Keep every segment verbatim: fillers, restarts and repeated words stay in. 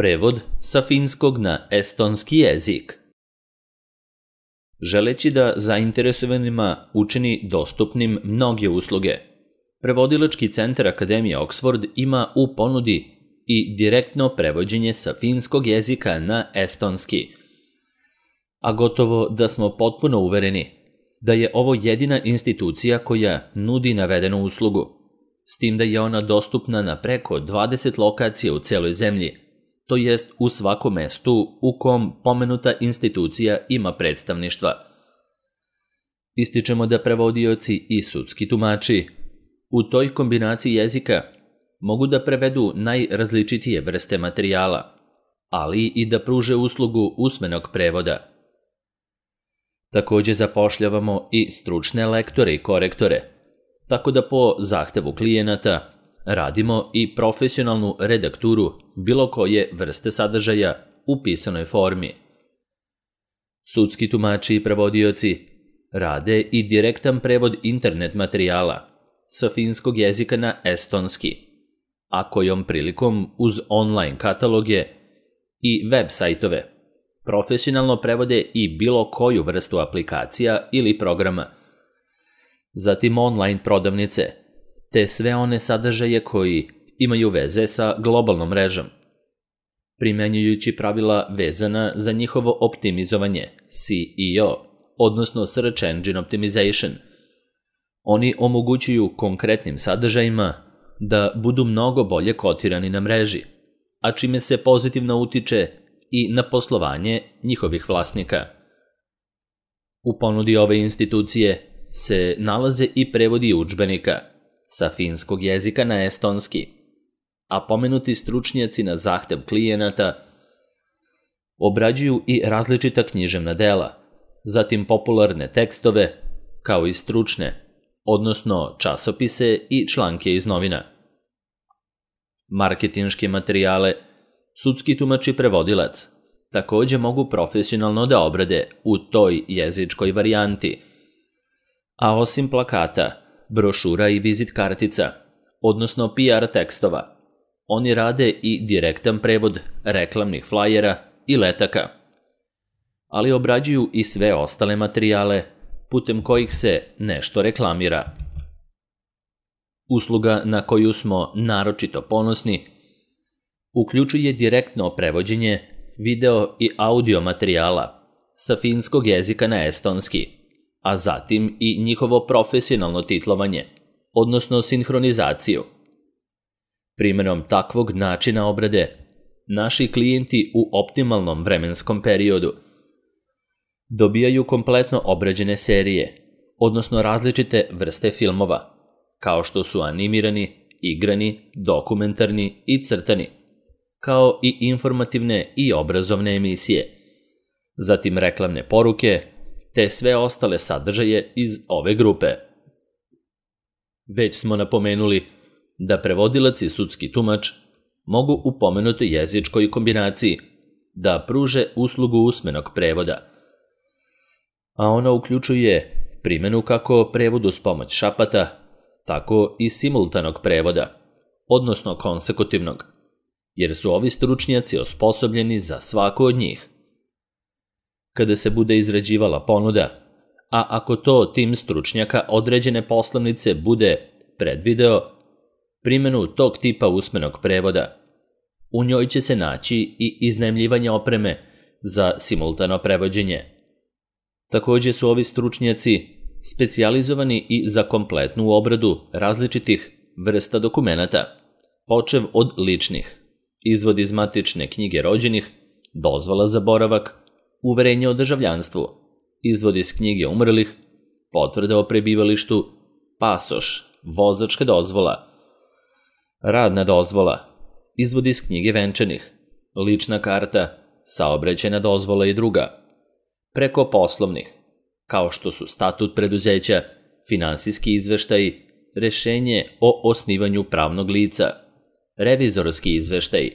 Prevod sa finskog na estonski jezik. Želeći da zainteresovanima učini dostupnim mnoge usluge, Prevodilački centar Akademije Oxford ima u ponudi i direktno prevođenje sa finskog jezika na estonski. A gotovo da smo potpuno uvereni da je ovo jedina institucija koja nudi navedenu uslugu, s tim da je ona dostupna na preko dvadeset lokacija u celoj zemlji, to jest u svakom mestu u kom pomenuta institucija ima predstavništva. Ističemo da prevodioci i sudski tumači u toj kombinaciji jezika mogu da prevedu najrazličitije vrste materijala, ali i da pruže uslugu usmenog prevoda. Takođe zapošljavamo i stručne lektore i korektore, tako da po zahtevu klijenata radimo i profesionalnu redakturu bilo koje vrste sadržaja u pisanoj formi. Sudski tumači i prevodioci rade i direktan prevod internet materijala sa finskog jezika na estonski, a kojom prilikom uz online kataloge i web sajtove profesionalno prevode i bilo koju vrstu aplikacija ili programa. Zatim online prodavnice, te sve one sadržaje koji imaju veze sa globalnom mrežom, primenjujući pravila vezana za njihovo optimizovanje, S E O, odnosno Search Engine Optimization. Oni omogućuju konkretnim sadržajima da budu mnogo bolje kotirani na mreži, a čime se pozitivno utiče i na poslovanje njihovih vlasnika. U ponudi ove institucije se nalaze i prevodi udžbenika sa finskog jezika na estonski, a pomenuti stručnjaci na zahtev klijenata obrađuju i različita književna dela, zatim popularne tekstove, kao i stručne, odnosno časopise i članke iz novina. Marketinške materijale sudski tumač i prevodilac takođe mogu profesionalno da obrade u toj jezičkoj varijanti, a osim plakata, brošura i vizit kartica, odnosno P R tekstova, oni rade i direktan prevod reklamnih flajera i letaka, ali obrađuju i sve ostale materijale putem kojih se nešto reklamira. Usluga na koju smo naročito ponosni uključuje direktno prevođenje video i audio materijala sa finskog jezika na estonski, a zatim i njihovo profesionalno titlovanje, odnosno sinhronizaciju. Primjenom takvog načina obrade, naši klijenti u optimalnom vremenskom periodu dobijaju kompletno obrađene serije, odnosno različite vrste filmova, kao što su animirani, igrani, dokumentarni i crtani, kao i informativne i obrazovne emisije, zatim reklamne poruke, te sve ostale sadržaje iz ove grupe. Već smo napomenuli da prevodilac i sudski tumač mogu u pomenutoj jezičkoj kombinaciji da pruže uslugu usmenog prevoda, a ona uključuje primjenu kako prevodu uz pomoć šapata, tako i simultanog prevoda, odnosno konsekutivnog, jer su ovi stručnjaci osposobljeni za svaku od njih. Kada se bude izrađivala ponuda, a ako to tim stručnjaka određene poslovnice bude predvideo primjenu tog tipa usmenog prevoda, u njoj će se naći i iznajmljivanje opreme za simultano prevođenje. Takođe su ovi stručnjaci specijalizovani i za kompletnu obradu različitih vrsta dokumenata, počev od ličnih, izvod iz matične knjige rođenih, dozvola za boravak, uverenje o državljanstvu, izvod iz knjige umrlih, potvrda o prebivalištu, pasoš, vozačka dozvola, radna dozvola, izvod iz knjige venčanih, lična karta, saobraćajna dozvola i druga, preko poslovnih, kao što su statut preduzeća, finansijski izveštaj, rešenje o osnivanju pravnog lica, revizorski izveštaj,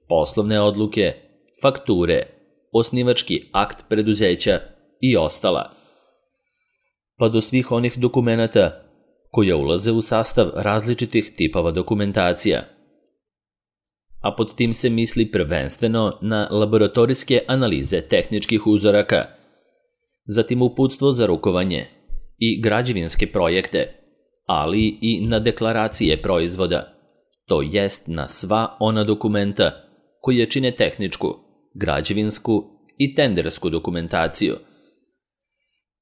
poslovne odluke, fakture, osnivački akt preduzeća i ostala, pa do svih onih dokumenata koja ulaze u sastav različitih tipova dokumentacija. a pod tim se misli prvenstveno na laboratorijske analize tehničkih uzoraka, zatim uputstvo za rukovanje i građevinske projekte, ali i na deklaracije proizvoda, to jest na sva ona dokumenta koje čine tehničku, građevinsku i tendersku dokumentaciju,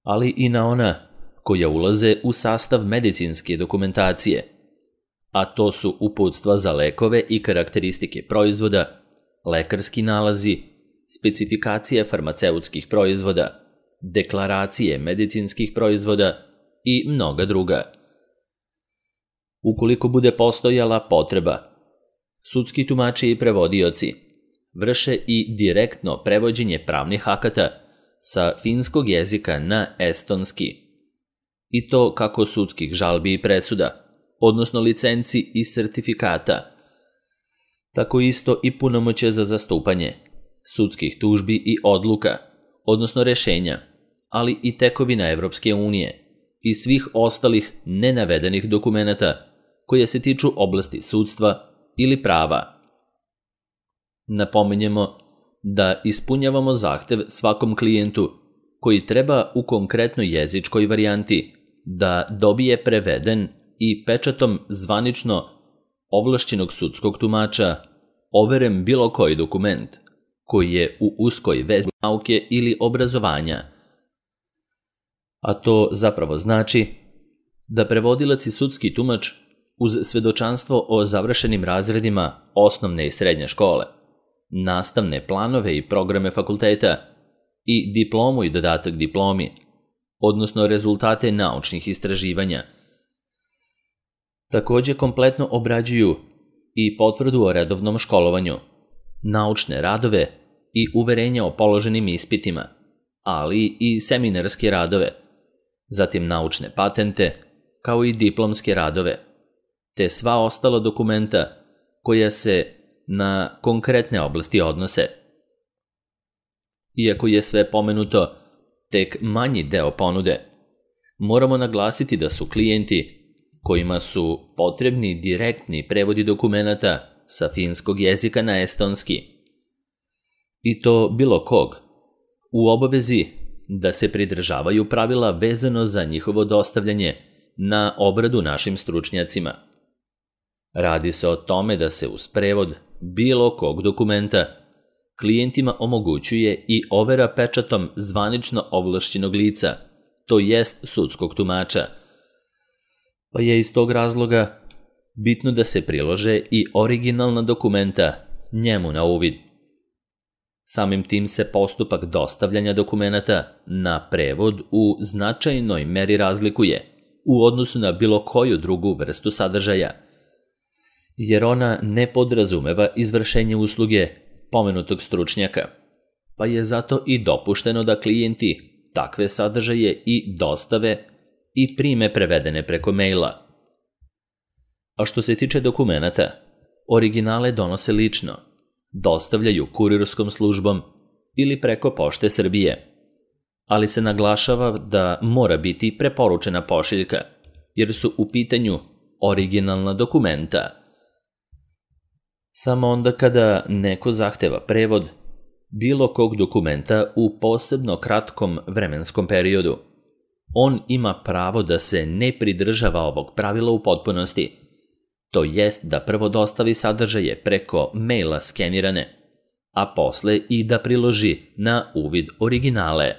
ali i na ona koja ulaze u sastav medicinske dokumentacije, a to su uputstva za lekove i karakteristike proizvoda, lekarski nalazi, specifikacije farmaceutskih proizvoda, deklaracije medicinskih proizvoda i mnoga druga. Ukoliko bude postojala potreba, sudski tumači i prevodioci vrše i direktno prevođenje pravnih akata sa finskog jezika na estonski, i to kako sudskih žalbi i presuda, odnosno licenci i sertifikata, tako isto i punomoćje za zastupanje, sudskih tužbi i odluka, odnosno rešenja, ali i tekovina Evropske unije i svih ostalih nenavedenih dokumenata koje se tiču oblasti sudstva ili prava. Napominjemo da ispunjavamo zahtev svakom klijentu koji treba u konkretnoj jezičkoj varijanti da dobije preveden i pečatom zvanično ovlašćenog sudskog tumača overen bilo koji dokument koji je u uskoj vezi nauke ili obrazovanja. A to zapravo znači da prevodilac i sudski tumač uz svedočanstvo o završenim razredima osnovne i srednje škole, nastavne planove i programe fakulteta i diplomu i dodatak diplomi, odnosno rezultate naučnih istraživanja, takođe kompletno obrađuju i potvrdu o redovnom školovanju, naučne radove i uverenja o položenim ispitima, ali i seminarske radove, zatim naučne patente, kao i diplomske radove, te sva ostala dokumenta koja se na konkretne oblasti odnose. Iako je sve pomenuto tek manji deo ponude, moramo naglasiti da su klijenti kojima su potrebni direktni prevodi dokumenata sa finskog jezika na estonski, i to bilo kog, u obavezi da se pridržavaju pravila vezano za njihovo dostavljanje na obradu našim stručnjacima. Radi se o tome da se uz prevod bilo kog dokumenta klijentima omogućuje i overa pečatom zvanično ovlašćenog lica, to jest sudskog tumača, pa je iz tog razloga bitno da se prilože i originalna dokumenta njemu na uvid. Samim tim se postupak dostavljanja dokumenata na prevod u značajnoj meri razlikuje u odnosu na bilo koju drugu vrstu sadržaja, jer ona ne podrazumeva izvršenje usluge pomenutog stručnjaka, pa je zato i dopušteno da klijenti takve sadržaje i dostave i prime prevedene preko maila. A što se tiče dokumenata, originale donose lično, dostavljaju kurirskom službom ili preko Pošte Srbije, ali se naglašava da mora biti preporučena pošiljka, jer su u pitanju originalna dokumenta. Samo onda kada neko zahteva prevod bilo kog dokumenta u posebno kratkom vremenskom periodu, on ima pravo da se ne pridržava ovog pravila u potpunosti, to jest da prvo dostavi sadržaje preko maila skenirane, a posle i da priloži na uvid originale.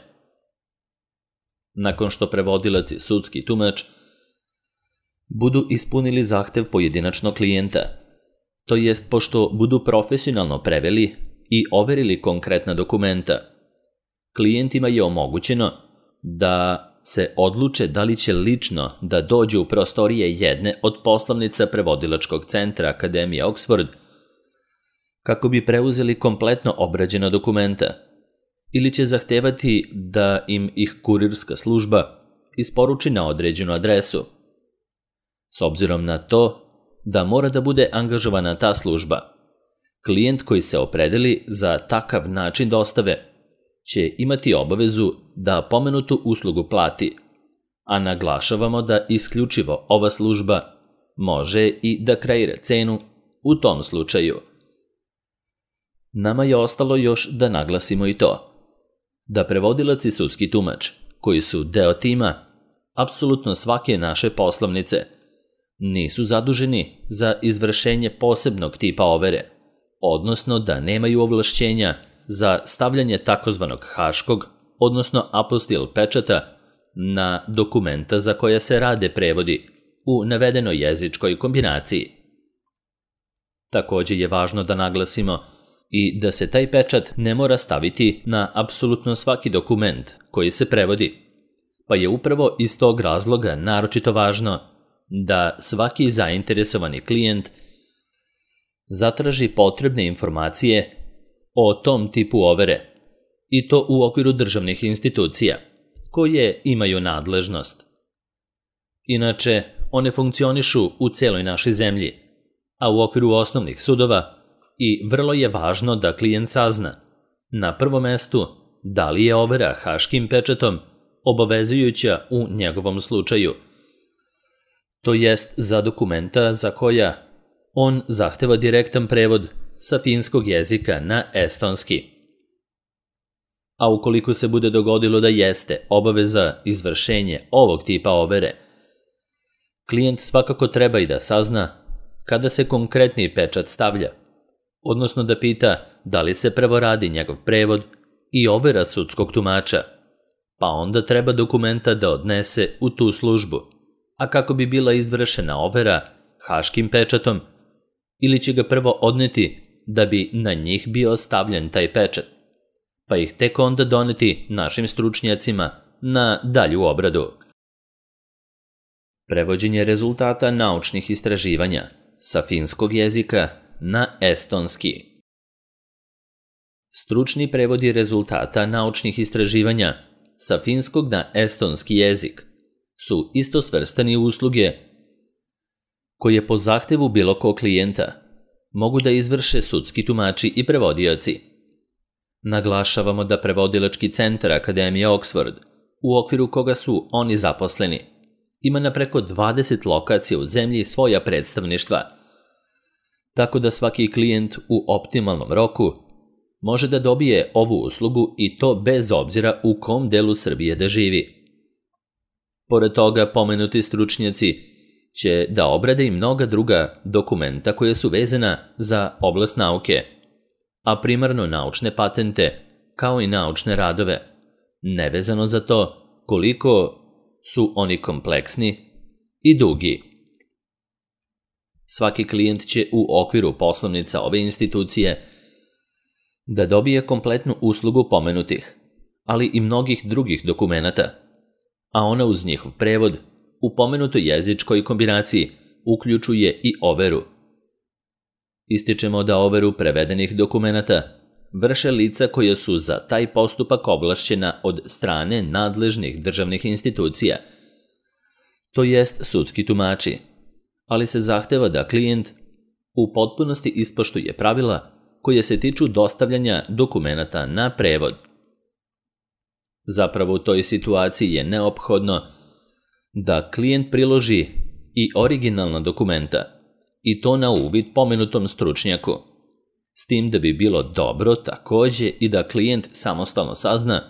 Nakon što prevodilac i sudski tumač budu ispunili zahtev pojedinačnog klijenta, to jest pošto budu profesionalno preveli i overili konkretna dokumenta, klijentima je omogućeno da se odluče da li će lično da dođu u prostorije jedne od poslovnica prevodilačkog centra Akademije Oxford kako bi preuzeli kompletno obrađena dokumenta, ili će zahtevati da im ih kurirska služba isporuči na određenu adresu. S obzirom na to da mora da bude angažovana ta služba, klijent koji se opredeli za takav način dostave će imati obavezu da pomenutu uslugu plati, a naglašavamo da isključivo ova služba može i da kreira cenu u tom slučaju, Nama je ostalo još da naglasimo i to, da prevodilac i sudski tumač, koji su deo tima apsolutno svake naše poslovnice, nisu zaduženi za izvršenje posebnog tipa overe, odnosno da nemaju ovlašćenja za stavljanje takozvanog haškog, odnosno apostil pečata na dokumenta za koja se rade prevodi u navedenoj jezičkoj kombinaciji. Takođe je važno da naglasimo i da se taj pečat ne mora staviti na apsolutno svaki dokument koji se prevodi, pa je upravo iz tog razloga naročito važno da svaki zainteresovani klijent zatraži potrebne informacije o tom tipu overe, i to u okviru državnih institucija, koje imaju nadležnost. Inače, one funkcionišu u celoj našoj zemlji, a u okviru osnovnih sudova, i vrlo je važno da klijent sazna, na prvom mestu, da li je overa haškim pečatom obavezujuća u njegovom slučaju, to jest za dokumenta za koja on zahteva direktan prevod sa finskog jezika na estonski. A ukoliko se bude dogodilo da jeste obaveza izvršenje ovog tipa overe, klijent svakako treba i da sazna kada se konkretni pečat stavlja, odnosno da pita da li se prvo radi njegov prevod i overa sudskog tumača, pa onda treba dokumenta da odnese u tu službu, a kako bi bila izvršena overa haškim pečatom, ili će ga prvo odneti da bi na njih bio stavljen taj pečat, pa ih tek onda doneti našim stručnjacima na dalju obradu. Prevođenje rezultata naučnih istraživanja sa finskog jezika na estonski. Stručni prevodi rezultata naučnih istraživanja sa finskog na estonski jezik su isto svrstani usluge koje po zahtevu bilo kog klijenta mogu da izvrše sudski tumači i prevodioci. Naglašavamo da prevodilački centar Akademije Oxford, u okviru koga su oni zaposleni, ima na preko dvadeset lokacija u zemlji svoja predstavništva, tako da svaki klijent u optimalnom roku može da dobije ovu uslugu i to bez obzira u kom delu Srbije da živi. Pored toga, pomenuti stručnjaci će da obrade i mnoga druga dokumenta koje su vezana za oblast nauke, a primarno naučne patente, kao i naučne radove, nevezano za to koliko su oni kompleksni i dugi. Svaki klijent će u okviru poslovnica ove institucije da dobije kompletnu uslugu pomenutih, ali i mnogih drugih dokumenata, a ona uz njihov prevod u pomenutoj jezičkoj kombinaciji uključuje i overu. Ističemo da overu prevedenih dokumenata vrše lica koja su za taj postupak ovlašćena od strane nadležnih državnih institucija, to jest sudski tumači, ali se zahteva da klijent u potpunosti ispoštuje pravila koje se tiču dostavljanja dokumenata na prevod. Zapravo u toj situaciji je neophodno da klijent priloži i originalna dokumenta, i to na uvid pomenutom stručnjaku, s tim da bi bilo dobro takođe i da klijent samostalno sazna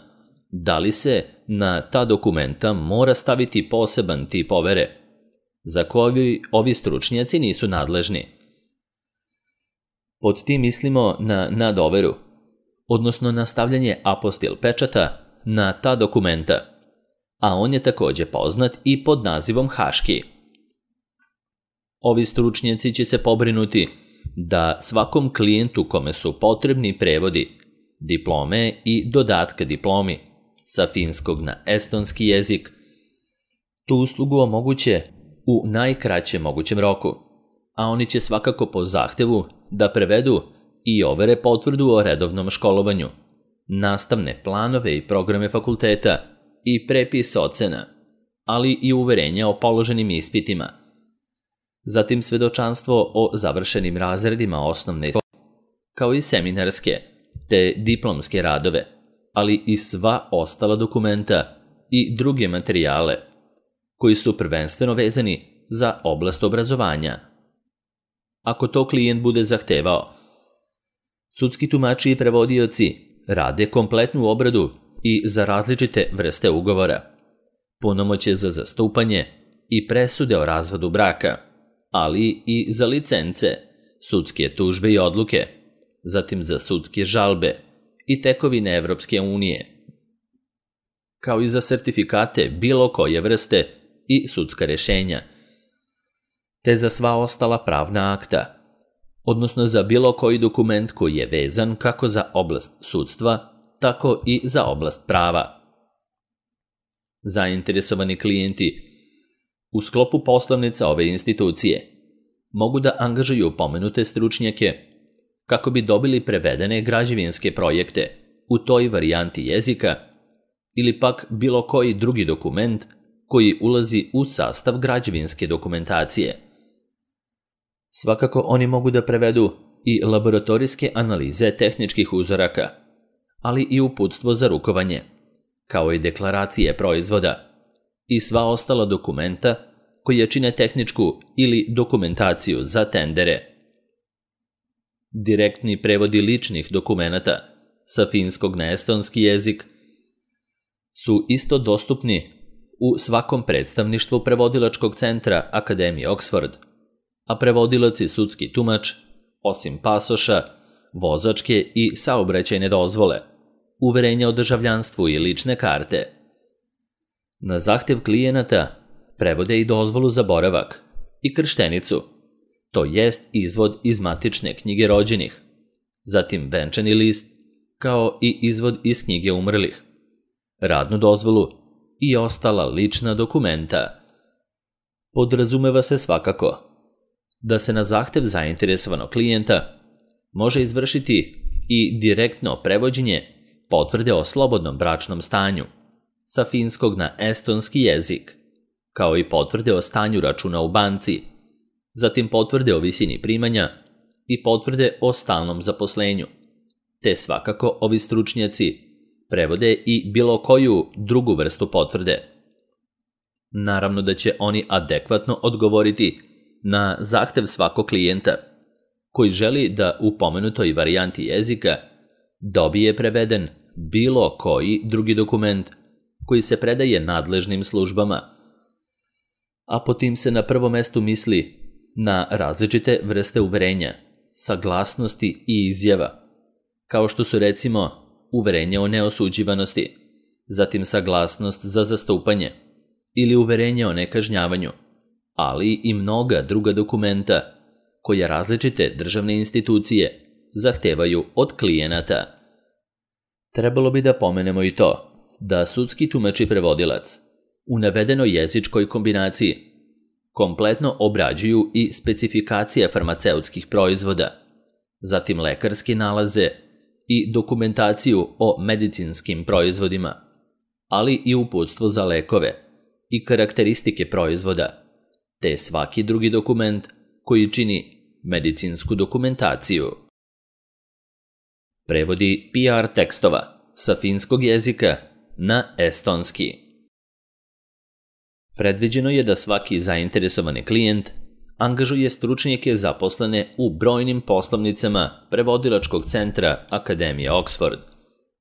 da li se na ta dokumenta mora staviti poseban tip overe, za koji ovi stručnjaci nisu nadležni. Pod tim mislimo na nadoveru, odnosno na stavljanje apostil pečata na ta dokumenta, a on je takođe poznat i pod nazivom haški. Ovi stručnjaci će se pobrinuti da svakom klijentu kome su potrebni prevodi, diplome i dodatka diplomi sa finskog na estonski jezik, tu uslugu omoguće u najkraćem mogućem roku, a oni će svakako po zahtevu da prevedu i overe potvrdu o redovnom školovanju, nastavne planove i programe fakulteta i prepis ocena, ali i uverenja o položenim ispitima, zatim svedočanstvo o završenim razredima osnovne škole, kao i seminarske te diplomske radove, ali i sva ostala dokumenta i druge materijale koji su prvenstveno vezani za oblast obrazovanja. Ako to klijent bude zahtevao, Sudski tumači i prevodioci rade kompletnu obradu i za različite vrste ugovora, punomoćje za zastupanje i presude o razvodu braka, ali i za licence, sudske tužbe i odluke, zatim za sudske žalbe i tekovine Evropske unije, kao i za sertifikate bilo koje vrste i sudska rešenja, te za sva ostala pravna akta, odnosno za bilo koji dokument koji je vezan kako za oblast sudstva, tako i za oblast prava. Zainteresovani klijenti u sklopu poslovnica ove institucije mogu da angažuju pomenute stručnjake kako bi dobili prevedene građevinske projekte u toj varijanti jezika ili pak bilo koji drugi dokument koji ulazi u sastav građevinske dokumentacije. Svakako oni mogu da prevedu i laboratorijske analize tehničkih uzoraka, ali i uputstvo za rukovanje, kao i deklaracije proizvoda i sva ostala dokumenta koje čine tehničku ili dokumentaciju za tendere. Direktni prevodi ličnih dokumenata sa finskog na estonski jezik su isto dostupni u svakom predstavništvu prevodilačkog centra Akademije Oxford, a prevodilac i sudski tumač, osim pasoša, vozačke i saobraćajne dozvole, uverenja o državljanstvu i lične karte. Na zahtev klijenata prevode i dozvolu za boravak i krštenicu, to jest izvod iz matične knjige rođenih, zatim venčani list, kao i izvod iz knjige umrlih, radnu dozvolu i ostala lična dokumenta. Podrazumeva se svakako da se na zahtev zainteresovanog klijenta može izvršiti i direktno prevođenje potvrde o slobodnom bračnom stanju sa finskog na estonski jezik, kao i potvrde o stanju računa u banci, zatim potvrde o visini primanja i potvrde o stalnom zaposlenju, te svakako ovi stručnjaci prevode i bilo koju drugu vrstu potvrde. Naravno da će oni adekvatno odgovoriti na zahtev svakog klijenta koji želi da u pomenutoj varijanti jezika dobije preveden bilo koji drugi dokument koji se predaje nadležnim službama, a po tim se na prvo mestu misli na različite vrste uverenja, saglasnosti i izjava, kao što su recimo uverenje o neosuđivanosti, zatim saglasnost za zastupanje ili uverenje o nekažnjavanju, ali i mnoga druga dokumenta koja različite državne institucije zahtevaju od klijenata. Trebalo bi da pomenemo i to da sudski tumač i prevodilac u navedenoj jezičkoj kombinaciji kompletno obrađuju i specifikacije farmaceutskih proizvoda, zatim lekarske nalaze i dokumentaciju o medicinskim proizvodima, ali i uputstvo za lekove i karakteristike proizvoda, te svaki drugi dokument koji čini medicinsku dokumentaciju. Prevodi P R tekstova sa finskog jezika na estonski. Predviđeno je da svaki zainteresovani klijent angažuje stručnjake zaposlene u brojnim poslovnicama prevodilačkog centra Akademije Oxford,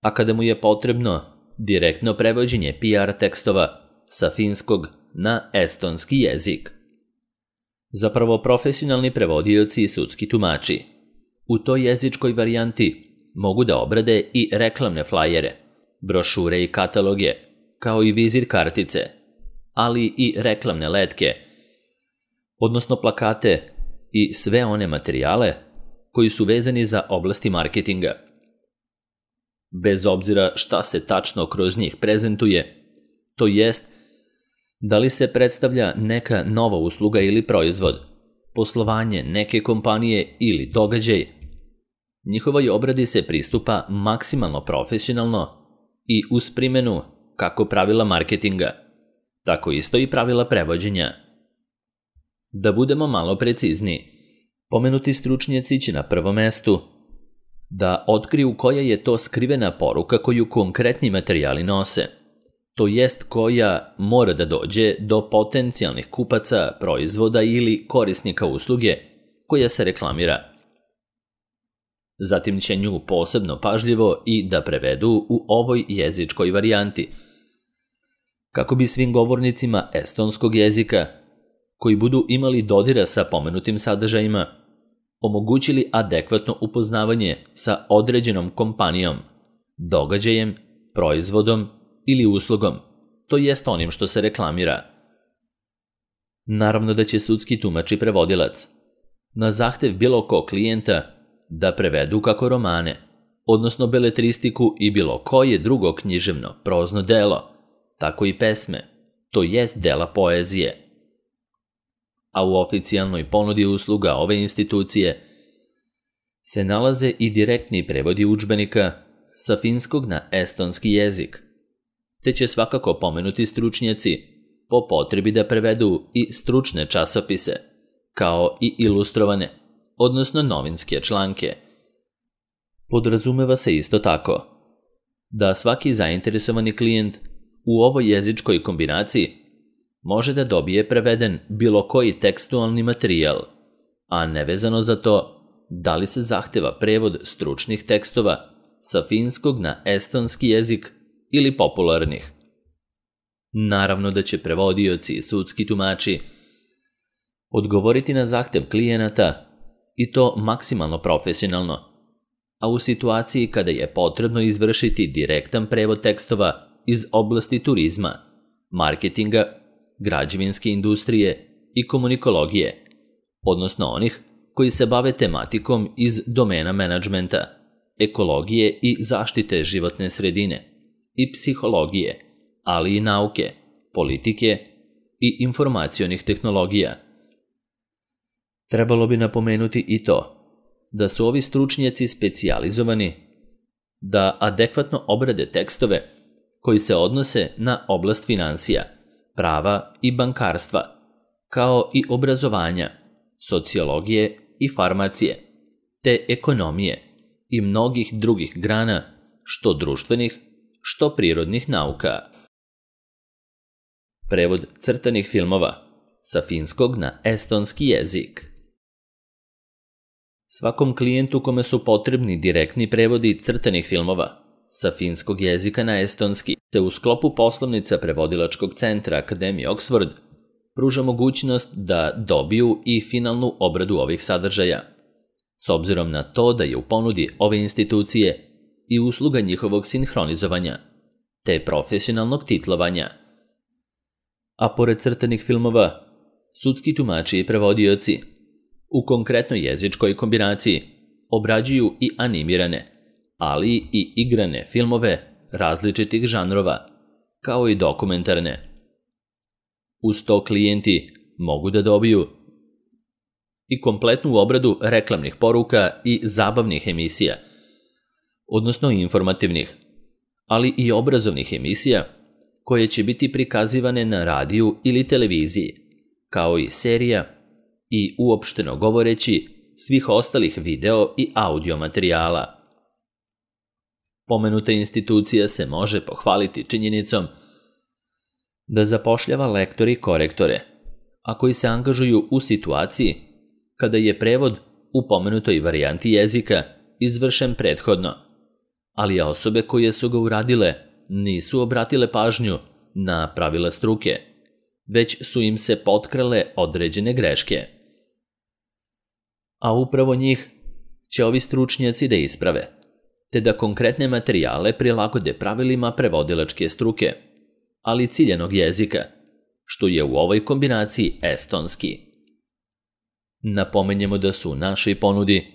a kada mu je potrebno direktno prevođenje P R tekstova sa finskog na estonski jezik. Zapravo profesionalni prevodioci i sudski tumači u toj jezičkoj varijanti mogu da obrade i reklamne flajere, brošure i kataloge, kao i vizit kartice, ali i reklamne letke, odnosno plakate i sve one materijale koji su vezani za oblasti marketinga. Bez obzira šta se tačno kroz njih prezentuje, to jest da li se predstavlja neka nova usluga ili proizvod, poslovanje neke kompanije ili događaj, njihovoj obradi se pristupa maksimalno profesionalno i uz primjenu kako pravila marketinga, tako isto i pravila prevođenja. Da budemo malo precizniji, pomenuti stručnjaci će na prvom mestu da otkriju koja je to skrivena poruka koju konkretni materijali nose, to jest koja mora da dođe do potencijalnih kupaca proizvoda ili korisnika usluge koja se reklamira. Zatim će nju posebno pažljivo i da prevedu u ovoj jezičkoj varijanti, kako bi svim govornicima estonskog jezika, koji budu imali dodira sa pomenutim sadržajima, omogućili adekvatno upoznavanje sa određenom kompanijom, događajem, proizvodom ili uslugom, to jest onim što se reklamira. Naravno da će sudski tumač i prevodilac na zahtev bilo kog klijenta da prevedu kako romane, odnosno beletristiku i bilo koje drugo književno, prozno delo, tako i pesme, to jest dela poezije. A u oficijalnoj ponudi usluga ove institucije se nalaze i direktni prevodi udžbenika sa finskog na estonski jezik, te će svakako pomenuti stručnjaci po potrebi da prevedu i stručne časopise, kao i ilustrovane, odnosno novinske članke. Podrazumeva se isto tako da svaki zainteresovani klijent u ovoj jezičkoj kombinaciji može da dobije preveden bilo koji tekstualni materijal, a nevezano za to da li se zahteva prevod stručnih tekstova sa finskog na estonski jezik ili popularnih. Naravno da će prevodioci i sudski tumači odgovoriti na zahtev klijenata i to maksimalno profesionalno, a u situaciji kada je potrebno izvršiti direktan prevod tekstova iz oblasti turizma, marketinga, građevinske industrije i komunikologije, odnosno onih koji se bave tematikom iz domena menadžmenta, ekologije i zaštite životne sredine i psihologije, ali i nauke, politike i informacionih tehnologija. Trebalo bi napomenuti i to da su ovi stručnjaci specijalizovani da adekvatno obrade tekstove koji se odnose na oblast finansija, prava i bankarstva, kao i obrazovanja, sociologije i farmacije, te ekonomije i mnogih drugih grana, što društvenih, što prirodnih nauka. Prevod crtanih filmova sa finskog na estonski jezik. Svakom klijentu kome su potrebni direktni prevodi crtanih filmova sa finskog jezika na estonski se u sklopu poslovnica prevodilačkog centra Akademije Oxford pruža mogućnost da dobiju i finalnu obradu ovih sadržaja, s obzirom na to da je u ponudi ove institucije i usluga njihovog sinhronizovanja, te profesionalnog titlovanja. A pored crtanih filmova, sudski tumači i prevodioci u konkretnoj jezičkoj kombinaciji obrađuju i animirane, ali i igrane filmove različitih žanrova, kao i dokumentarne. Uz to klijenti mogu da dobiju i kompletnu obradu reklamnih poruka i zabavnih emisija, odnosno informativnih, ali i obrazovnih emisija koje će biti prikazivane na radiju ili televiziji, kao i serija i uopšteno govoreći svih ostalih video i audio materijala. Pomenuta institucija se može pohvaliti činjenicom da zapošljava lektore i korektore, a koji se angažuju u situaciji kada je prevod u pomenutoj varijanti jezika izvršen prethodno, ali osobe koje su ga uradile nisu obratile pažnju na pravila struke, već su im se potkrale određene greške. A upravo njih će ovi stručnjaci da isprave, te da konkretne materijale prilagode pravilima prevodilačke struke, ali ciljanog jezika, što je u ovoj kombinaciji estonski. Napomenjemo da su u našoj ponudi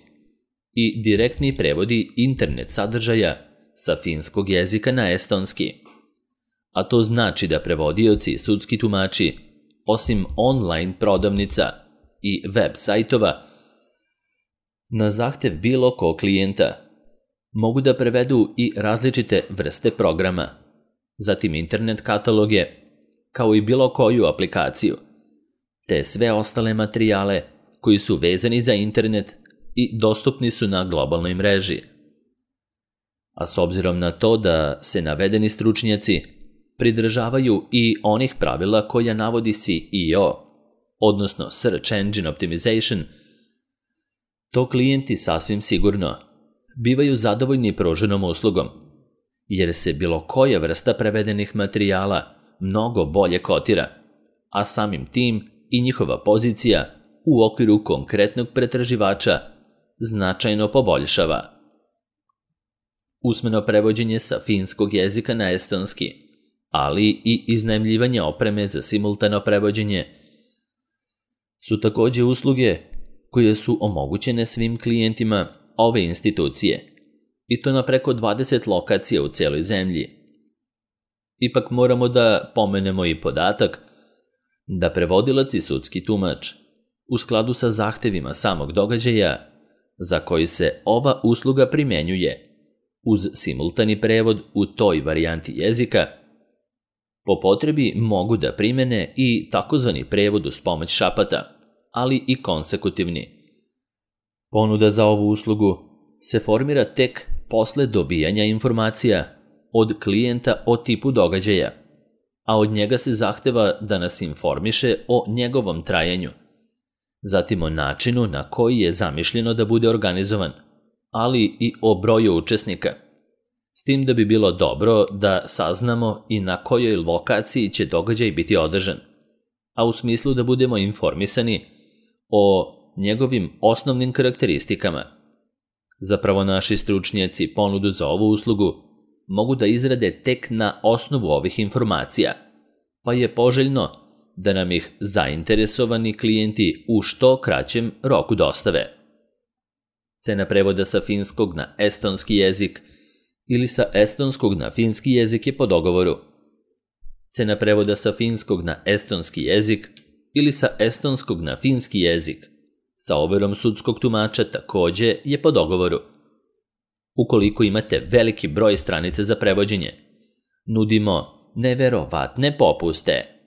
i direktni prevodi internet sadržaja sa finskog jezika na estonski, a to znači da prevodioci i sudski tumači, osim online prodavnica i web sajtova, na zahtev bilo kog klijenta mogu da prevedu i različite vrste programa, zatim internet kataloge, kao i bilo koju aplikaciju, te sve ostale materijale koji su vezani za internet i dostupni su na globalnoj mreži. A s obzirom na to da se navedeni stručnjaci pridržavaju i onih pravila koja navodi S E O, odnosno Search Engine Optimization, to klijenti sasvim sigurno bivaju zadovoljni pruženom uslugom, jer se bilo koja vrsta prevedenih materijala mnogo bolje kotira, a samim tim i njihova pozicija u okviru konkretnog pretraživača značajno poboljšava. Usmeno prevođenje sa finskog jezika na estonski, ali i iznajmljivanje opreme za simultano prevođenje su također usluge koje su omogućene svim klijentima ove institucije, i to na preko dvadeset lokacija u cijeloj zemlji. Ipak moramo da pomenemo i podatak da prevodilac i sudski tumač, u skladu sa zahtevima samog događaja za koji se ova usluga primjenjuje, uz simultani prevod u toj varijanti jezika, po potrebi mogu da primene i takozvani prevod uz pomoć šapata, ali i konsekutivni. Ponuda za ovu uslugu se formira tek posle dobijanja informacija od klijenta o tipu događaja, a od njega se zahteva da nas informiše o njegovom trajanju, zatim o načinu na koji je zamišljeno da bude organizovan, ali i o broju učesnika, s tim da bi bilo dobro da saznamo i na kojoj lokaciji će događaj biti održan, a u smislu da budemo informisani o njegovim osnovnim karakteristikama. Zapravo naši stručnjaci ponudu za ovu uslugu mogu da izrade tek na osnovu ovih informacija, pa je poželjno da nam ih zainteresovani klijenti u što kraćem roku dostave. Cena prevoda sa finskog na estonski jezik ili sa estonskog na finski jezik je po dogovoru. Cena prevoda sa finskog na estonski jezik ili sa estonskog na finski jezik sa overom sudskog tumača također je po dogovoru. Ukoliko imate veliki broj stranica za prevođenje, nudimo neverovatne popuste.